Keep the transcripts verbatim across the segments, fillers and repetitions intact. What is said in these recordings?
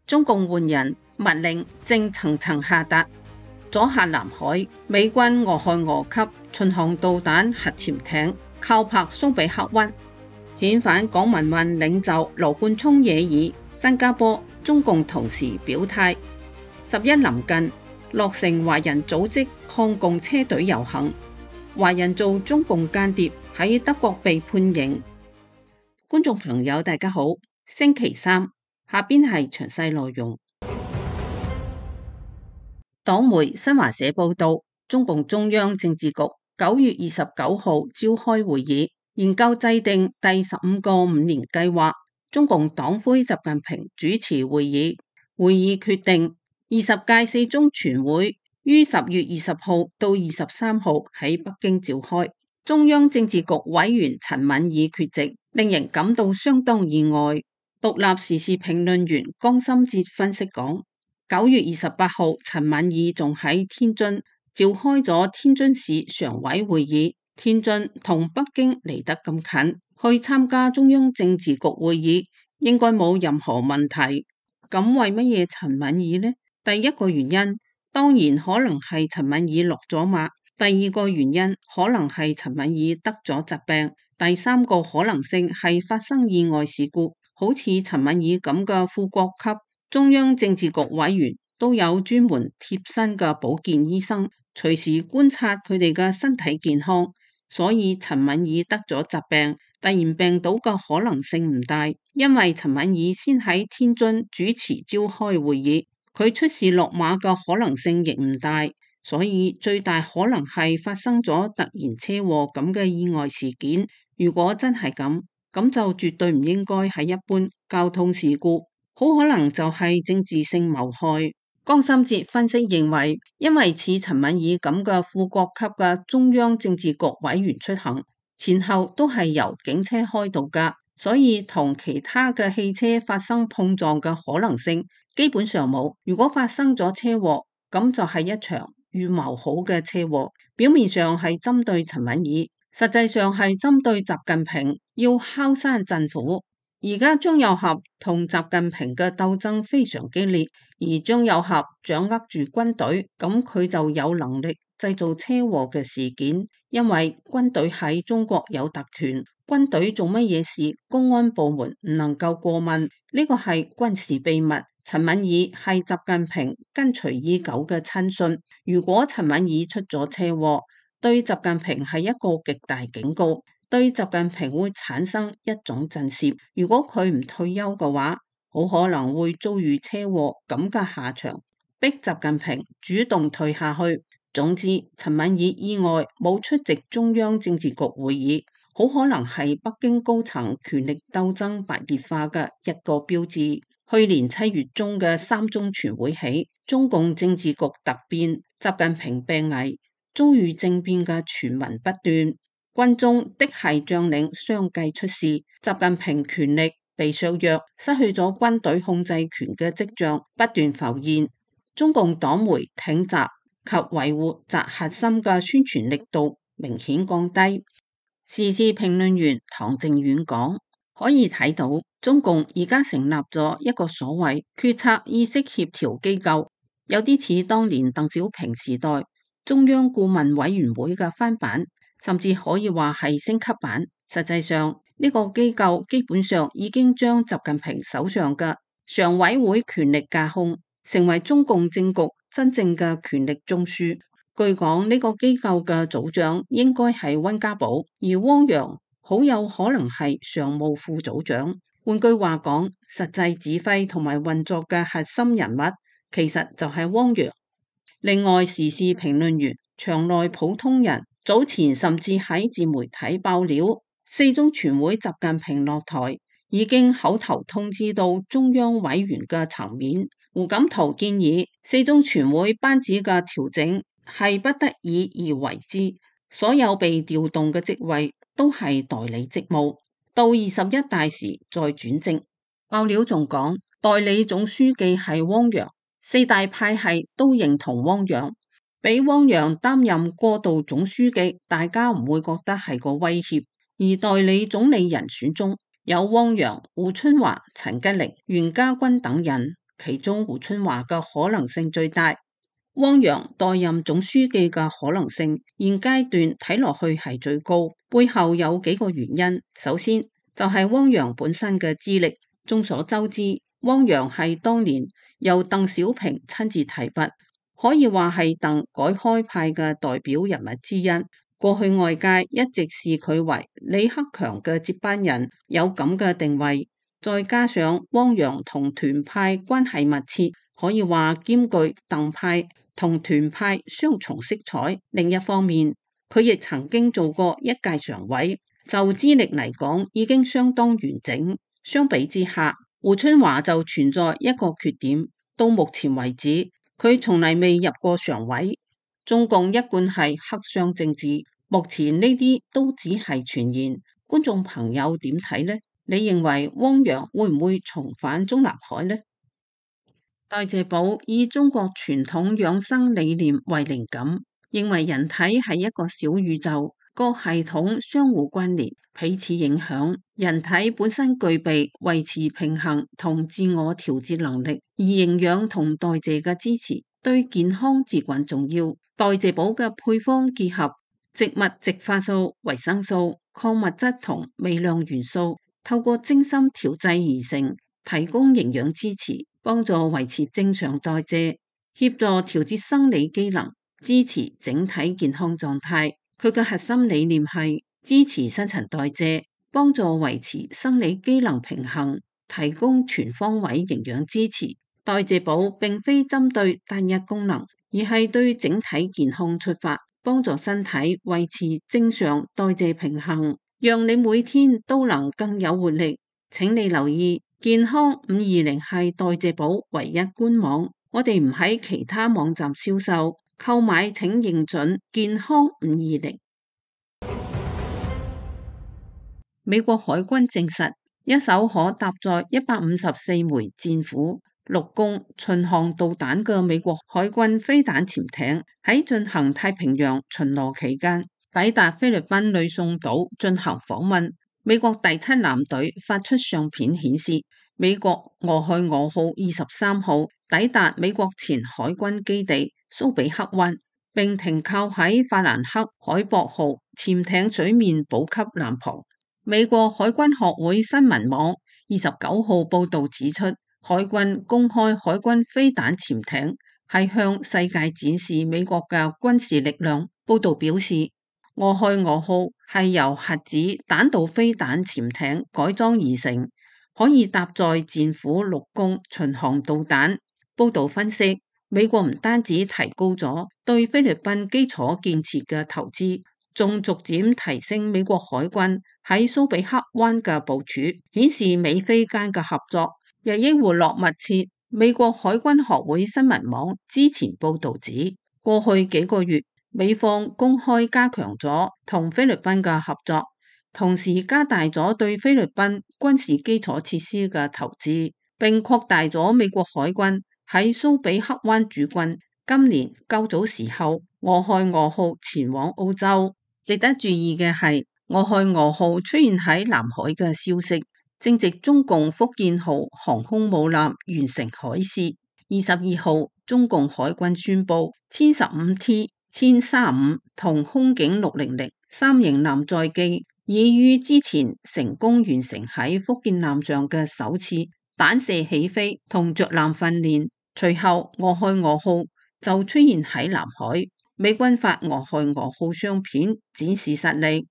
中共換人密令正層層下達，阻嚇南海，美軍俄亥俄級巡航導彈核潛艇靠泊蘇比克灣，遣返港民運領袖羅冠聰惹議，新加坡中共同時表態。十一臨近，落成華人組織抗共車隊遊行，華人做中共間諜喺德國被判刑。觀眾朋友大家好，星期三，下邊係詳細內容。黨媒新華社報道，中共中央政治局九月二十九號召開會議，研究制定第十五個五年計劃。中共黨魁習近平主持會議，會議決定二十屆四中全會於十月二十號到二十三號喺北京召開。中央政治局委員陳敏爾缺席，令人感到相當意外。獨立時事評論員江心哲分析講，九月二十八號陳敏爾仲喺天津召開咗天津市常委會議，天津同北京離得咁近，去參加中央政治局會議應該冇任何問題。咁為乜嘢陳敏爾呢？第一個原因當然可能係陳敏爾落咗馬，第二個原因可能係陳敏爾得咗疾病，第三個可能性係發生意外事故。好似陳敏爾咁嘅副國級中央政治局委員都有專門貼身嘅保健醫生，隨時觀察佢哋嘅身體健康，所以陳敏爾得咗疾病，突然病倒嘅可能性唔大，因為陳敏爾先喺天津主持召開會議，佢出事落馬嘅可能性亦唔大，所以最大可能係發生咗突然車禍咁嘅意外事件。如果真係咁，咁就絕對唔應該係一般交通事故，好可能就係政治性謀害。江心哲分析認為，因為似陳敏爾咁嘅副國級嘅中央政治局委員出行，前後都係由警車開道噶，所以同其他嘅汽車發生碰撞嘅可能性基本上冇。如果發生咗車禍，咁就係一場預謀好嘅車禍，表面上係針對陳敏爾，實際上係針對習近平，要敲山震虎。而家張又俠同習近平嘅鬥爭非常激烈，而張又俠掌握住軍隊，咁佢就有能力製造車禍嘅事件，因為軍隊喺中國有特權，軍隊做乜嘢事，公安部門唔能夠過問，呢個係軍事秘密。陳敏爾係習近平跟隨已久嘅親信，如果陳敏爾出咗車禍，對習近平係一個極大警告，對習近平會產生一種震懾。如果佢唔退休嘅話，好可能會遭遇車禍咁嘅下場，逼習近平主動退下去。總之，陳敏爾意外冇出席中央政治局會議，好可能係北京高層權力鬥爭白熱化嘅一個標誌。去年七月中嘅三中全會起，中共政治局突變，習近平病危，遭遇政變嘅傳聞不斷，軍中的係將領相繼出事，習近平權力被削弱，失去咗軍隊控制權嘅跡象不斷浮現。中共黨媒挺習及維護習核心嘅宣傳力度明顯降低。時事評論員唐靖遠講，可以睇到中共而家成立咗一個所謂決策意識協調機構，有啲似當年鄧小平時代中央顧問委員會嘅翻版，甚至可以話係升級版。實際上呢個機構基本上已經將習近平手上嘅常委會權力架空，成為中共政局真正嘅權力中樞。據講呢個機構嘅組長應該係溫家寶，而汪洋好有可能係常務副組長。換句話講，實際指揮同埋運作嘅核心人物其實就係汪洋。另外，時事評論員場內普通人早前甚至喺自媒體爆料，四中全會習近平落台已經口頭通知到中央委員嘅層面。胡錦濤建議四中全會班子嘅調整係不得已而為之，所有被調動嘅職位都係代理職務，到二十一大時再轉正。爆料仲講，代理總書記係汪洋，四大派系都認同汪洋，俾汪洋擔任過渡總書記，大家唔會覺得係個威脅。而代理總理人選中有汪洋、胡春華、陳吉寧、袁家軍等人，其中胡春華嘅可能性最大。汪洋代任總書記嘅可能性，現階段睇落去係最高。背後有幾個原因，首先就係汪洋本身嘅資歷。眾所周知，汪洋係當年由鄧小平親自提拔，可以話係鄧改開派嘅代表人物之一。過去外界一直視佢為李克強嘅接班人，有咁嘅定位。再加上汪洋同團派關係密切，可以話兼具鄧派同團派雙重色彩。另一方面，佢亦曾經做過一屆常委，就資歷嚟講已經相當完整。相比之下，胡春華就存在一個缺點，到目前為止，佢從嚟未入過常委。中共一貫係黑箱政治，目前呢啲都只係傳言。觀眾朋友點睇呢？你認為汪洋會唔會重返中南海呢？代謝寶以中國傳統養生理念為靈感，認為人體係一個小宇宙，各系統相互關聯，彼此影響。人體本身具備維持平衡同自我調節能力，而營養同代謝嘅支持對健康至關重要。代謝寶嘅配方結合植物植化素、維生素、礦物質同微量元素，透過精心調製而成，提供營養支持，幫助維持正常代謝，協助調節生理機能，支持整體健康狀態。佢嘅核心理念係支持新陳代謝，幫助維持生理機能平衡，提供全方位營養支持。代謝寶並非針對單一功能，而係對整體健康出發，幫助身體維持正常代謝平衡，讓你每天都能更有活力。請你留意，健康五二零係代謝寶唯一官網，我哋唔喺其他網站銷售，購買請認準健康五二零。美國海軍證實，一艘可搭載一百五十四枚戰斧陸攻巡航導彈嘅美國海軍飛彈潛艇喺進行太平洋巡邏期間，抵達菲律賓呂宋島進行訪問。美國第七艦隊發出相片顯示，美國俄亥俄號二十三號抵達美國前海軍基地蘇比克灣，並停靠喺法蘭克海博號潛艇水面補給艦旁。美國海軍學會新聞網二十九號報道指出，海軍公開海軍飛彈潛艇係向世界展示美國嘅軍事力量。報道表示，俄亥俄號係由核子彈道飛彈潛艇改裝而成，可以搭載戰斧陸攻巡航導彈。報道分析，美國唔單止提高咗對菲律賓基礎建設嘅投資，仲逐漸提升美國海軍喺蘇比克灣嘅部署，顯示美菲間嘅合作日益活絡密切。美國海軍學會新聞網之前報道指，過去幾個月美方公開加強咗同菲律賓嘅合作，同時加大咗對菲律賓軍事基礎設施嘅投資，並擴大咗美國海軍喺蘇比克灣駐軍。今年較早時候，俄亥俄號前往澳洲。值得注意嘅係，俄亥俄號出現喺南海嘅消息，正值中共福建號航空母艦完成海試。二十二號，中共海軍宣布，殲十五 T、殲三五同空警六零零三型艦載機已於之前成功完成喺福建艦上嘅首次彈射起飛同着艦訓練。隨後，俄亥俄號就出現喺南海，美軍發俄亥俄號相片展示實力。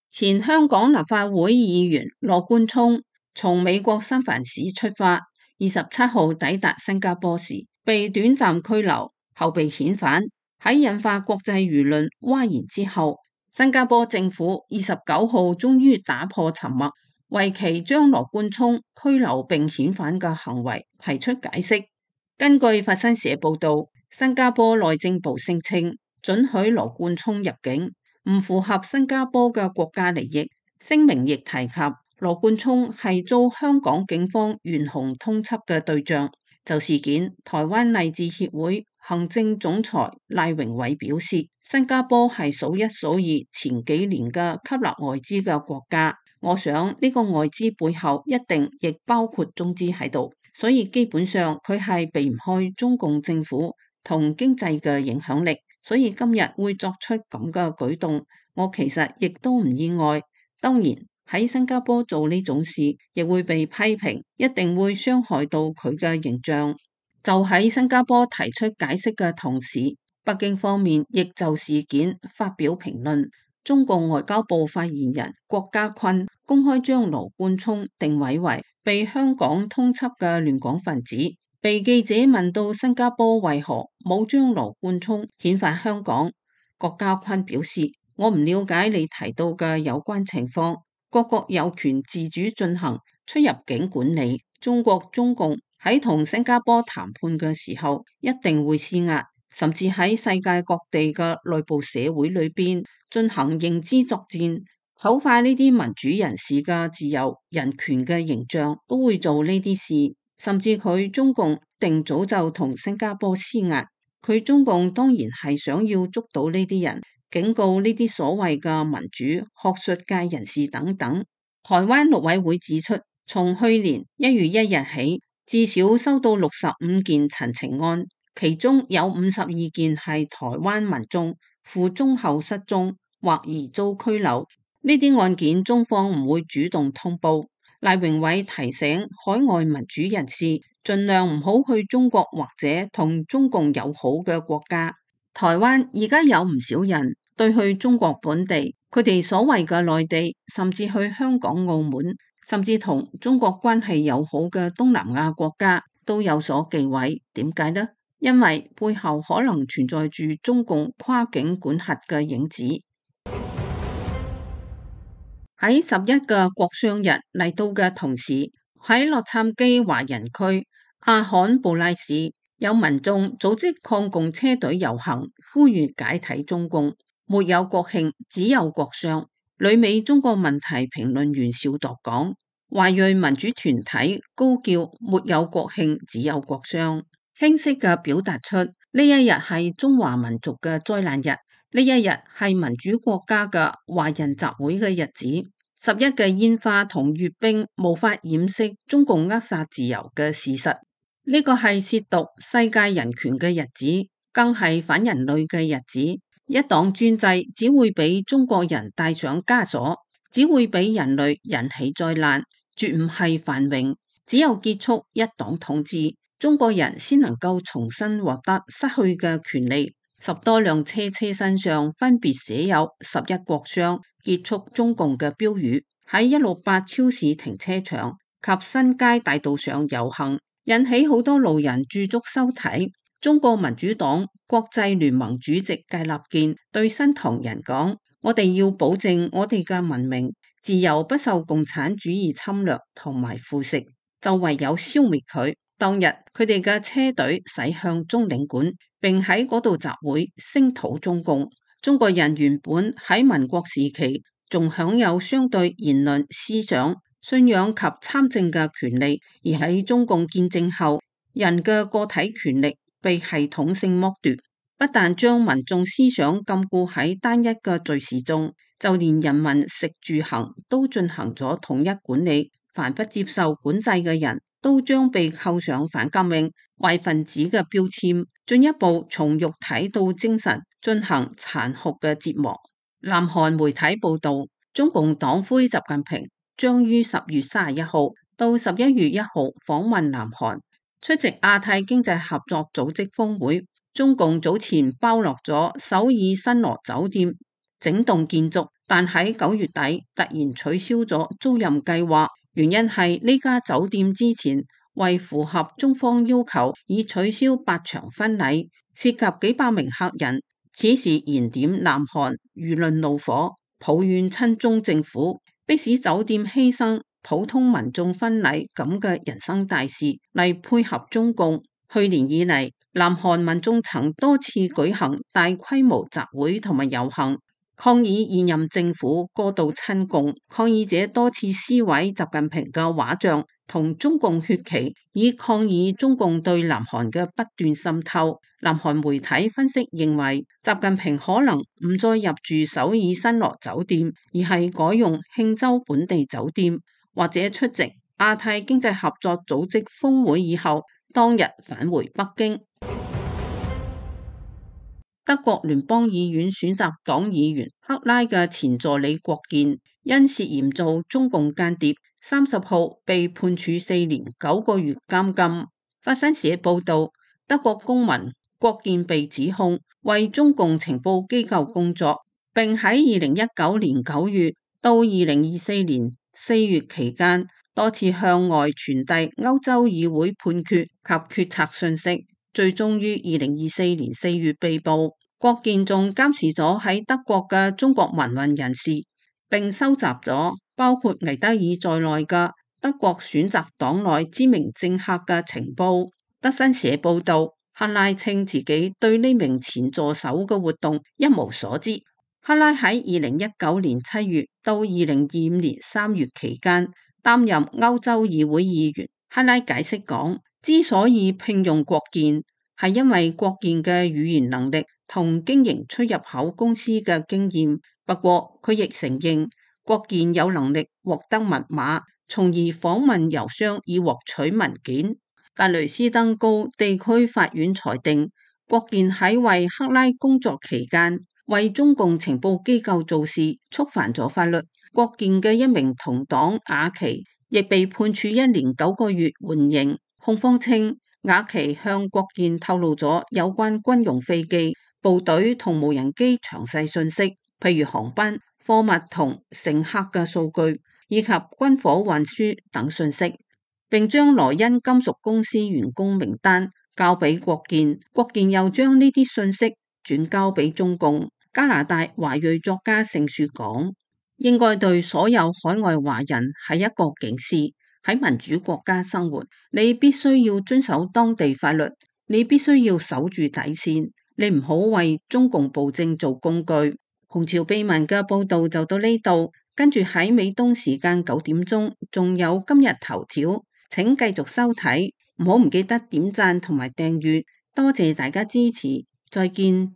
前香港立法會議員羅冠聰從美國三藩市出發，二十七號抵達新加坡時被短暫拘留，後被遣返。喺引發國際輿論譁然之後，新加坡政府二十九號終於打破沉默，為其將羅冠聰拘留並遣返嘅行為提出解釋。根據法新社報道，新加坡內政部聲稱准許羅冠聰入境唔符合新加坡嘅國家利益。聲明亦提及羅冠聰係遭香港警方懸紅通緝嘅對象。就事件，台灣勵志協會行政總裁賴榮偉表示，新加坡係數一數二前幾年嘅吸納外資嘅國家，我想呢個外資背後一定亦包括中資喺度，所以基本上佢係避唔開中共政府同經濟嘅影響力，所以今日會作出咁嘅舉動，我其實亦都唔意外。當然喺新加坡做呢種事，亦會被批評，一定會傷害到佢嘅形象。就喺新加坡提出解釋嘅同時，北京方面亦就事件發表評論。中共外交部發言人郭家坤公開將羅冠聰定位為被香港通緝嘅亂港分子。被記者問到新加坡為何冇將羅冠聰遣返香港，郭家坤表示：我唔了解你提到嘅有關情況，各國有權自主進行出入境管理。中國中共喺同新加坡談判嘅時候，一定會施壓，甚至喺世界各地嘅內部社會裏邊進行認知作戰，醜化呢啲民主人士嘅自由人權嘅形象，都會做呢啲事。甚至佢中共定早就同新加坡施壓，佢中共當然係想要捉到呢啲人，警告呢啲所謂嘅民主學術界人士等等。台灣陸委會指出，從去年一月一日起，至少收到六十五件陳情案，其中有五十二件係台灣民眾赴中後失蹤或疑遭拘留。呢啲案件中方唔會主動通報。賴榮偉提醒海外民主人士盡量唔好去中國或者同中共友好嘅國家。台灣而家有唔少人對去中國本地，佢哋所謂嘅內地，甚至去香港、澳門，甚至同中國關係友好嘅東南亞國家都有所忌諱。點解呢？因為背後可能存在住中共跨境管轄嘅影子。喺十一個國殤日嚟到嘅同時，喺洛杉磯華人區阿罕布拉市有民眾組織抗共車隊遊行，呼籲解體中共。沒有國慶，只有國殤。旅美中國問題評論員邵鐸講，華裔民主團體高叫沒有國慶，只有國殤，清晰嘅表達出呢一日係中華民族嘅災難日。呢一日係民主國家嘅華人集會嘅日子，十一嘅煙花同閱兵無法掩飾中共扼殺自由嘅事實。呢個係褻瀆世界人權嘅日子，更係反人類嘅日子。一黨專制只會俾中國人帶上枷鎖，只會俾人類引起災難，絕唔係繁榮。只有結束一黨統治，中國人先能夠重新獲得失去嘅權利。十多輛車車身上分別寫有十一國殤結束中共嘅標語，喺一六八超市停車場及新街大道上遊行，引起好多路人駐足收睇。中國民主黨國際聯盟主席芥立健對新唐人講：我哋要保證我哋嘅文明自由不受共產主義侵略同埋腐蝕，就唯有消滅佢。當日佢哋嘅車隊駛向中領館，並喺嗰度集會聲討中共。中國人原本喺民國時期仲享有相對言論、思想、信仰及參政嘅權利，而喺中共建政後，人嘅個體權力被系統性剝奪，不但將民眾思想禁錮喺單一嘅敘事中，就連人民食住行都進行咗統一管理。凡不接受管制嘅人都將被扣上反革命壞分子嘅標籤，進一步從肉體到精神進行殘酷嘅折磨。南韓媒體報道，中共黨魁習近平將於十月三十一號到十一月一號訪問南韓，出席亞太經濟合作組織峰會。中共早前包落咗首爾新羅酒店整棟建築，但喺九月底突然取消咗租賃計劃。原因係呢家酒店之前為符合中方要求，已取消八場婚禮，涉及幾百名客人。此事燃點南韓輿論怒火，抱怨親中政府迫使酒店犧牲普通民眾婚禮咁嘅人生大事嚟配合中共。去年以嚟，南韓民眾曾多次舉行大規模集會同埋遊行，抗議現任政府過度親共。抗議者多次撕毀習近平嘅畫像，同中共血旗，以抗議中共對南韓嘅不斷滲透。南韓媒體分析認為，習近平可能唔再入住首爾新羅酒店，而係改用慶州本地酒店，或者出席亞太經濟合作組織峰會以後，當日返回北京。德國聯邦議院選擇黨議員克拉嘅前助理郭健，因涉嫌做中共間諜，三十號被判處四年九個月監禁。法新社報道，德國公民郭健被指控為中共情報機構工作，並喺二零一九年九月到二零二四年四月期間，多次向外傳遞歐洲議會判決及決策信息，最終於二零二四年四月被捕。郭健仲監視咗喺德國嘅中國民運人士，並收集咗包括魏德爾在內嘅德國選擇黨內知名政客嘅情報。德新社報道，克拉稱自己對呢名前助手嘅活動一無所知。克拉喺二零一九年七月到二零二五年三月期間擔任歐洲議會議員。克拉解釋講，之所以聘用郭健，係因為郭健嘅語言能力同經營出入口公司嘅經驗。不過佢亦承認郭健有能力獲得密碼，從而訪問郵箱以獲取文件。但雷斯登高地區法院裁定，郭健喺為克拉工作期間為中共情報機構做事，觸犯咗法律。郭健嘅一名同黨雅琪亦被判處一年九個月緩刑。控方稱雅琪向郭健透露咗有關軍用飛機、部隊同無人機詳細信息，譬如航班、貨物同乘客嘅數據，以及軍火運輸等信息，並將萊茵金屬公司員工名單交俾郭健。郭健又將呢啲信息轉交俾中共。加拿大華裔作家盛雪講，應該對所有海外華人係一個警示。喺民主國家生活，你必須要遵守當地法律，你必須要守住底線，你唔好為中共暴政做工具。紅潮秘聞嘅報道就到呢度，跟住喺美東時間九點鐘仲有今日頭條，請繼續收睇，唔好唔記得點讚同埋訂閱，多謝大家支持，再見。